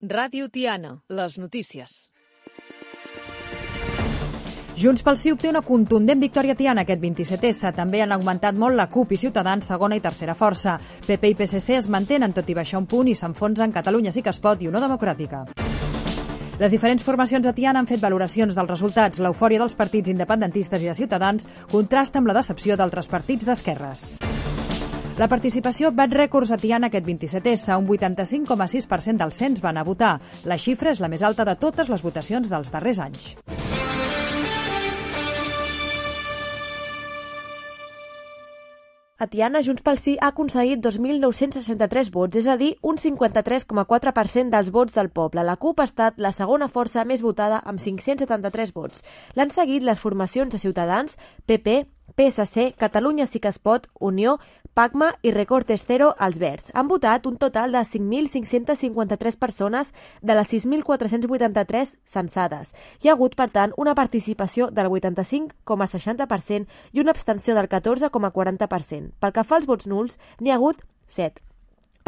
Ràdio Tiana, les notícies. Junts pel Sí obté una contundent victòria a Tiana aquest 27S. També han augmentat molt la CUP i Ciutadans, segona i tercera força. PP i PSC es mantenen tot i baixar un punt i s'enfonsen Catalunya Sí que es pot i Unió Democràtica. Les diferents formacions a Tiana han fet valoracions dels resultats. L'eufòria dels partits independentistes i de Ciutadans contrasta amb la decepció d'altres partits d'esquerres. La participació bat rècords a Tiana aquest 27S. Un 85,6% dels cens van a votar. La xifra és la més alta de totes les votacions dels darrers anys. A Tiana, Junts pel Sí ha aconseguit 2.963 vots, és a dir, un 53,4% dels vots del poble. La CUP ha estat la segona força més votada amb 573 vots. L'han seguit les formacions de Ciutadans, PP, PSC, Catalunya Sí que es pot, Unió, PACMA i Recortes Cero als Verds. Han votat un total de 5.553 persones de les 6.483 censades. Hi ha hagut, per tant, una participació del 85,60% i una abstenció del 14,40%. Pel que fa als vots nuls, n'hi ha hagut 7.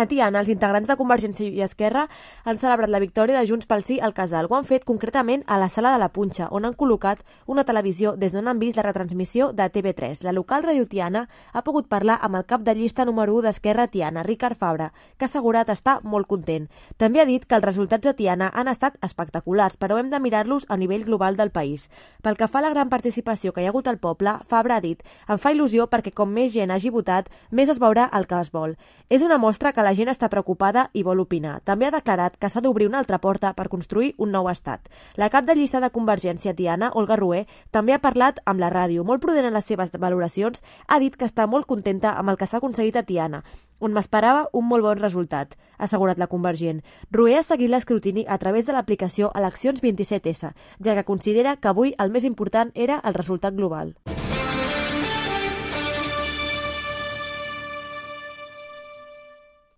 A Tiana, els integrants de Convergència i Esquerra han celebrat la victòria de Junts pel Sí al Casal. Ho han fet concretament a la Sala de la Punxa, on han col·locat una televisió des d'on han vist la retransmissió de TV3. La local Ràdio Tiana ha pogut parlar amb el cap de llista número 1 d'Esquerra a Tiana, Ricard Fabra, que ha assegurat estar molt content. També ha dit que els resultats a Tiana han estat espectaculars, però hem de mirar-los a nivell global del país. Pel que fa a la gran participació que hi ha hagut al poble, Fabra ha dit: em fa il·lusió perquè com més gent hagi votat, més es veurà el que es vol. És una mostra que la gent està preocupada i vol opinar. També ha declarat que s'ha d'obrir una altra porta per construir un nou estat. La cap de llista de Convergència a Tiana, Olga Rué, també ha parlat amb la ràdio. Molt prudent en les seves valoracions, ha dit que està molt contenta amb el que s'ha aconseguit a Tiana, on m'esperava un molt bon resultat, ha assegurat la convergent. Rué ha seguit l'escrutini a través de l'aplicació Eleccions 27S, ja que considera que avui el més important era el resultat global.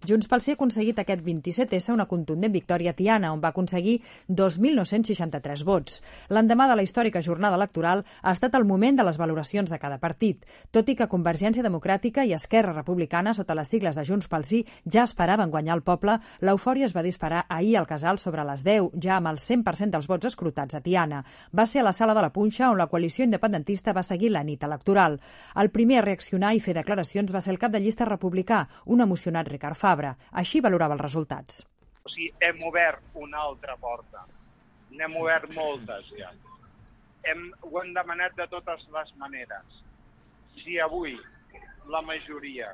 Junts pel Sí ha aconseguit aquest 27S una contundent victòria a Tiana, on va aconseguir 2.963 vots. L'endemà de la històrica jornada electoral ha estat el moment de les valoracions de cada partit. Tot i que Convergència Democràtica i Esquerra Republicana, sota les sigles de Junts pel Sí, ja esperaven guanyar el poble, l'eufòria es va disparar ahir al Casal sobre les 10, ja amb el 100% dels vots escrutats a Tiana. Va ser a la Sala de la Punxa on la coalició independentista va seguir la nit electoral. El primer a reaccionar i fer declaracions va ser el cap de llista republicà, un emocionat Ricard Fabra. Així valorava els resultats. O sigui, hem obert una altra porta. N'hem obert moltes ja. Ho hem demanat de totes les maneres. Si avui la majoria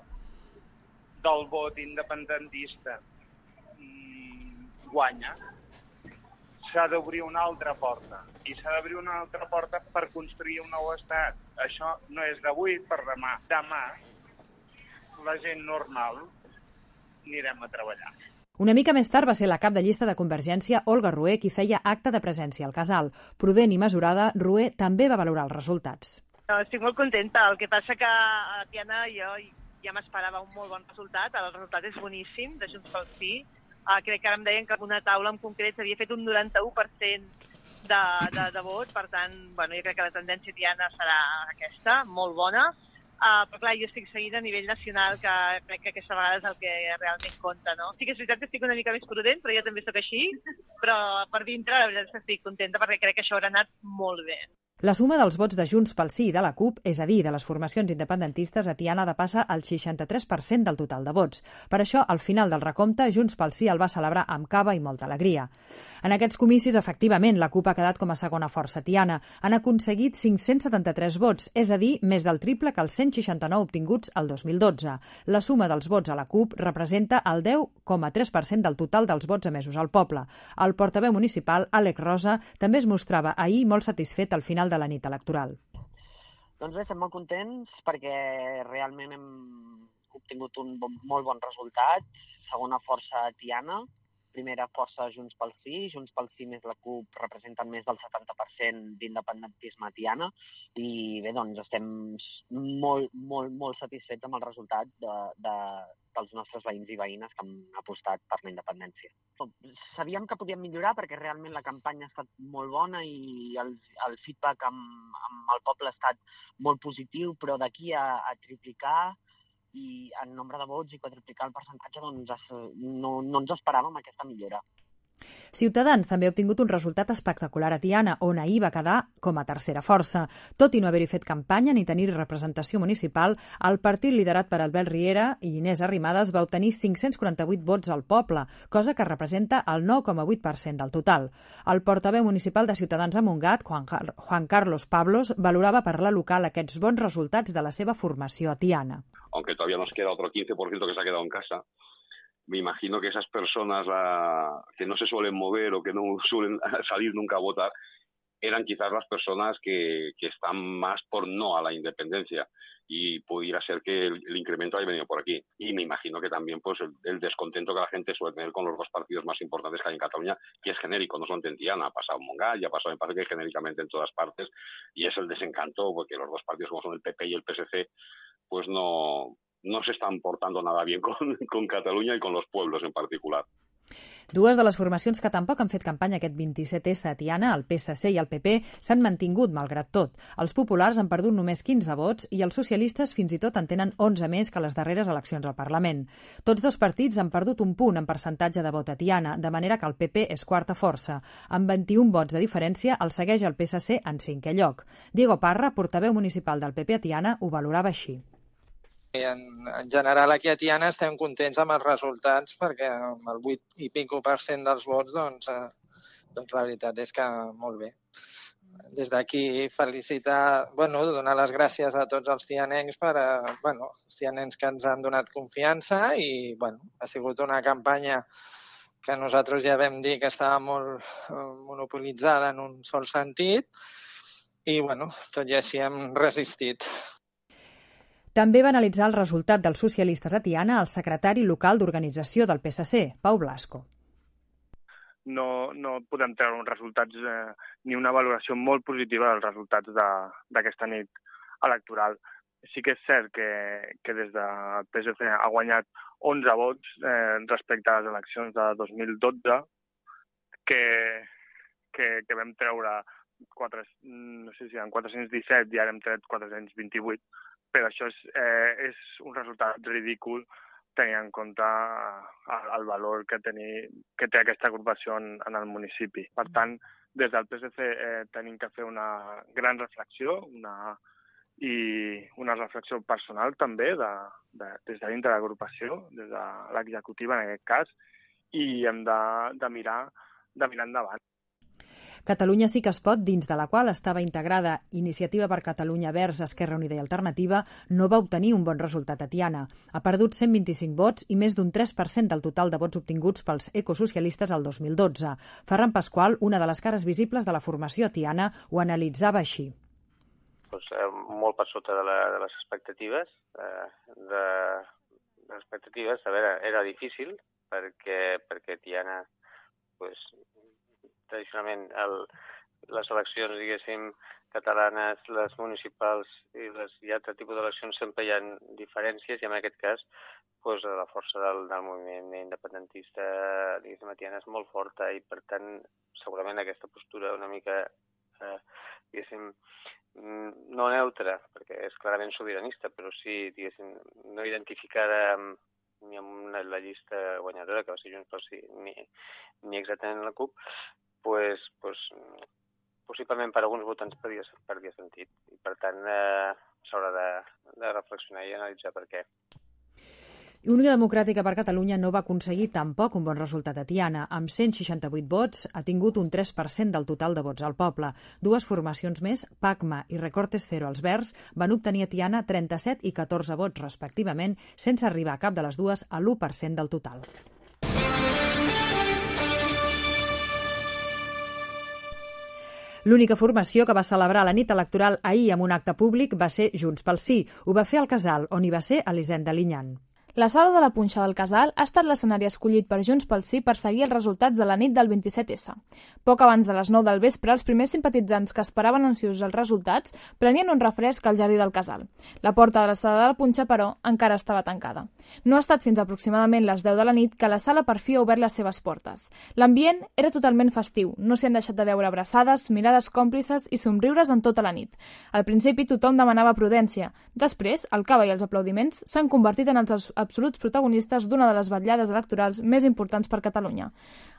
del vot independentista guanya, s'ha d'obrir una altra porta. I s'ha d'obrir una altra porta per construir un nou estat. Això no és d'avui per demà. Demà, la gent normal anirem a treballar. Una mica més tard va ser la cap de llista de Convergència, Olga Rué, qui feia acte de presència al Casal. Prudent i mesurada, Rué també va valorar els resultats. Estic molt contenta. El que passa que a Tiana jo ja m'esperava un molt bon resultat. El resultat és boníssim, de Junts pel Sí. Crec que ara em deien que una taula en concret s'havia fet un 91% de vot. Per tant, jo crec que la tendència a Tiana serà aquesta, molt bona. Però clar, jo estic seguint a nivell nacional, que crec que aquesta vegada és el que realment compta, no? Sí que és veritat que estic una mica més prudent, però jo també sóc així, però per dintre la veritat és que estic contenta perquè crec que això haurà anat molt bé. La suma dels vots de Junts pel Sí i de la CUP, és a dir, de les formacions independentistes, a Tiana depassa el 63% del total de vots. Per això, al final del recompte, Junts pel Sí el va celebrar amb cava i molta alegria. En aquests comicis, efectivament, la CUP ha quedat com a segona força a Tiana. Han aconseguit 573 vots, és a dir, més del triple que els 169 obtinguts el 2012. La suma dels vots a la CUP representa el 10,3% del total dels vots emesos al poble. El portaveu municipal, Àlex Rosa, també es mostrava ahir molt satisfet al final de la nit electoral. Doncs bé, estem molt contents perquè realment hem obtingut un molt bon resultat. Segona força a Tiana, primera força Junts pel Sí més la CUP representen més del 70% d'independentisme a Tiana i bé, doncs estem molt satisfets amb el resultat dels nostres veïns i veïnes que han apostat per la independència. Sabíem que podíem millorar perquè realment la campanya ha estat molt bona i el feedback amb el poble ha estat molt positiu, però d'aquí a triplicar i en nombre de vots i quadruplicar el percentatge, doncs no ens esperàvem aquesta millora. Ciutadans també ha obtingut un resultat espectacular a Tiana, on ahir va quedar com a tercera força. Tot i no haver-hi fet campanya ni tenir representació municipal, el partit liderat per Albert Riera i Inés Arrimadas va obtenir 548 vots al poble, cosa que representa el 9,8% del total. El portaveu municipal de Ciutadans a Montgat, Juan Carlos Pablos, valorava per la local aquests bons resultats de la seva formació a Tiana. Aunque todavía nos queda otro 15% que se ha quedado en casa, me imagino que esas personas que no se suelen mover o que no suelen salir nunca a votar eran quizás las personas que están más por no a la independencia, y pudiera ser que el incremento haya venido por aquí. Y me imagino que también pues el descontento que la gente suele tener con los dos partidos más importantes que hay en Cataluña, que es genérico, no solamente en Tiana, ha pasado en Montgat, ya ha pasado, me parece que genéricamente en todas partes, y es el desencanto porque los dos partidos como son el PP y el PSC pues no se están portando nada bien con Catalunya i con los pueblos en particular. Dues de les formacions que tampoc han fet campanya aquest 27S a Tiana, el PSC i el PP, s'han mantingut malgrat tot. Els populars han perdut només 15 vots i els socialistes fins i tot en tenen 11 més que les darreres eleccions al Parlament. Tots dos partits han perdut un punt en percentatge de vot a Tiana, de manera que el PP és quarta força. Amb 21 vots de diferència, el segueix el PSC en 5è lloc. Diego Parra, portaveu municipal del PP a Tiana, ho valorava així. En general, aquí a Tiana estem contents amb els resultats perquè amb el 8 i pico % dels vots, doncs la veritat és que molt bé. Des d'aquí felicitar, donar les gràcies a tots els tianencs els tianencs que ens han donat confiança i, ha sigut una campanya que nosaltres ja vam dir que estava molt monopolitzada en un sol sentit i, tot i així hem resistit. També va analitzar el resultat dels socialistes a Tiana el secretari local d'organització del PSC, Pau Blasco. No podem treure uns resultats ni una valoració molt positiva dels resultats d'aquesta nit electoral. Sí que és cert que des del PSC ha guanyat 11 vots respecte a les eleccions de 2012, que vam treure 417 i ara hem tret 428. Però això és un resultat ridícul tenint en compte el valor que té aquesta agrupació en el municipi. Per tant, des del PSC tenim que fer una gran reflexió i una reflexió personal també des de dintre de l'agrupació, des de l'executiva en aquest cas, i hem de mirar endavant. Catalunya sí que es pot, dins de la qual estava integrada Iniciativa per Catalunya Verds, Esquerra Unida i Alternativa, no va obtenir un bon resultat a Tiana. Ha perdut 125 vots i més d'un 3% del total de vots obtinguts pels ecosocialistes al 2012. Ferran Pasqual, una de les cares visibles de la formació a Tiana, ho analitzava així. Molt per sota de les expectatives. Era difícil perquè Tiana tradicionalment les eleccions, diguéssim, catalanes, les municipals i altre tipus d'eleccions sempre hi ha diferències i en aquest cas la força del moviment independentista, diguéssim, a Tiana és molt forta i per tant segurament aquesta postura una mica, diguéssim, no neutra, perquè és clarament sobiranista, però sí, diguéssim, no identificada ni amb la llista guanyadora, que va ser Junts pel Sí, ni exactament la CUP, possiblement per alguns votants perdia sentit. I per tant, s'haurà de reflexionar i analitzar per què. Unió Democràtica per Catalunya no va aconseguir tampoc un bon resultat a Tiana. Amb 168 vots ha tingut un 3% del total de vots al poble. Dues formacions més, PACMA i Recortes Cero als Verds, van obtenir a Tiana 37 i 14 vots respectivament, sense arribar a cap de les dues a l'1% del total. L'única formació que va celebrar la nit electoral ahir amb un acte públic va ser Junts pel Sí. Ho va fer al Casal, on hi va ser Elisenda Liñán. La sala de la Punxa del Casal ha estat l'escenari escollit per Junts pel Sí per seguir els resultats de la nit del 27S. Poc abans de les 9 del vespre, els primers simpatitzants que esperaven ansiosos els resultats prenien un refresc al jardí del Casal. La porta de la sala de la Punxa, però, encara estava tancada. No ha estat fins aproximadament les 10 de la nit que la sala per fi ha obert les seves portes. L'ambient era totalment festiu, no s'hi han deixat de veure abraçades, mirades còmplices i somriures en tota la nit. Al principi tothom demanava prudència. Després, el cava i els aplaudiments s'han convertit en els absoluts protagonistes d'una de les vetllades electorals més importants per Catalunya.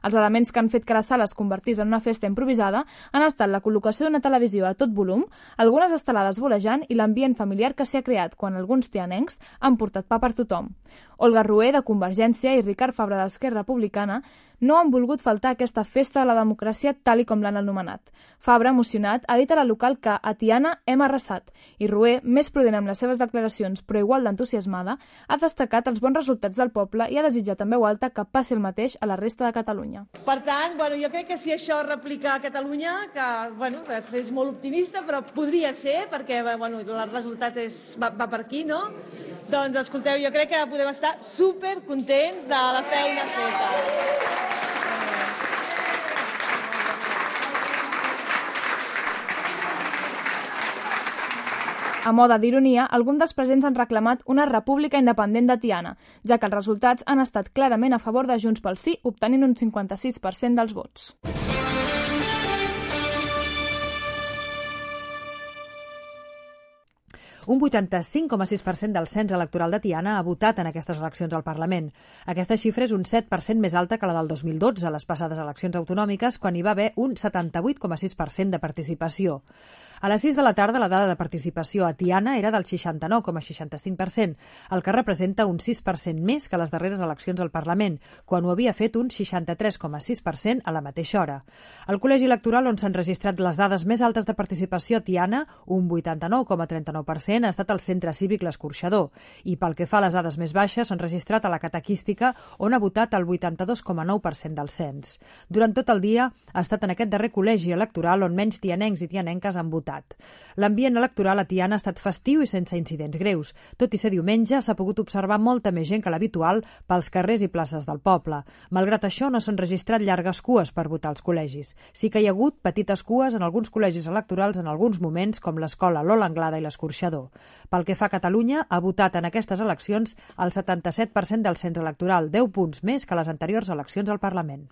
Els elements que han fet que la sala es convertís en una festa improvisada han estat la col·locació d'una televisió a tot volum, algunes estelades volejant i l'ambient familiar que s'hi ha creat quan alguns tianencs han portat pa per tothom. Olga Rué, de Convergència, i Ricard Fabra, d'Esquerra Republicana, no han volgut faltar a aquesta festa de la democràcia tal i com l'han anomenat. Fabra, emocionat, ha dit a la local que a Tiana hem arrasat i Rué, més prudent amb les seves declaracions però igual d'entusiasmada, ha destacat els bons resultats del poble i ha desitjat en veu alta que passi el mateix a la resta de Catalunya. Per tant, jo crec que si això es replica a Catalunya, que és molt optimista, però podria ser, perquè el resultat va per aquí, no? Doncs, escolteu, jo crec que podem estar supercontents de la feina feta. A moda d'ironia, alguns dels presents han reclamat una república independent de Tiana, ja que els resultats han estat clarament a favor de Junts pel Sí, obtenint un 56% dels vots. Un 85,6% del cens electoral de Tiana ha votat en aquestes eleccions al Parlament. Aquesta xifra és un 7% més alta que la del 2012, a les passades eleccions autonòmiques, quan hi va haver un 78,6% de participació. A les 6 de la tarda, la dada de participació a Tiana era del 69,65%, el que representa un 6% més que les darreres eleccions al Parlament, quan ho havia fet un 63,6% a la mateixa hora. El col·legi electoral on s'han registrat les dades més altes de participació a Tiana, un 89,39%, ha estat el Centre Cívic L'Escorxador, i pel que fa a les dades més baixes s'han registrat a la Catequística, on ha votat el 82,9% del cens. Durant tot el dia ha estat en aquest darrer col·legi electoral on menys tianencs i tianenques han votat. L'ambient electoral a Tiana ha estat festiu i sense incidents greus. Tot i ser diumenge, s'ha pogut observar molta més gent que l'habitual pels carrers i places del poble. Malgrat això, no s'han registrat llargues cues per votar als col·legis. Sí que hi ha hagut petites cues en alguns col·legis electorals en alguns moments, com l'escola Lola Anglada i l'Escorxador. Pel que fa a Catalunya, ha votat en aquestes eleccions el 77% del cens electoral, 10 punts més que les anteriors eleccions al Parlament.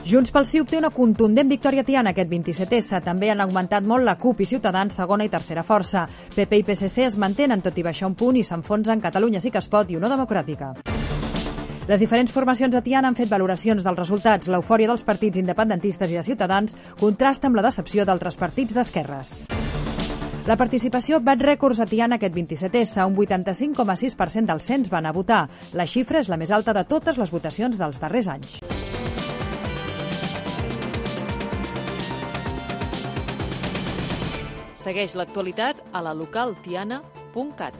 Junts pel Sí obté una contundent victòria a Tiana aquest 27S. També han augmentat molt la CUP i Ciutadans, segona i tercera força. PP i PSC es mantenen, tot i baixar un punt, i s'enfonsen Catalunya Sí que es pot i Unió Democràtica. Les diferents formacions a Tiana han fet valoracions dels resultats. L'eufòria dels partits independentistes i de Ciutadans contrasta amb la decepció d'altres partits d'esquerres. La participació bat rècords a Tiana aquest 27S. Un 85,6% dels cens van a votar. La xifra és la més alta de totes les votacions dels darrers anys. Segueix l'actualitat a la localtiana.cat.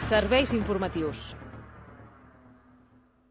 Serveis informatius.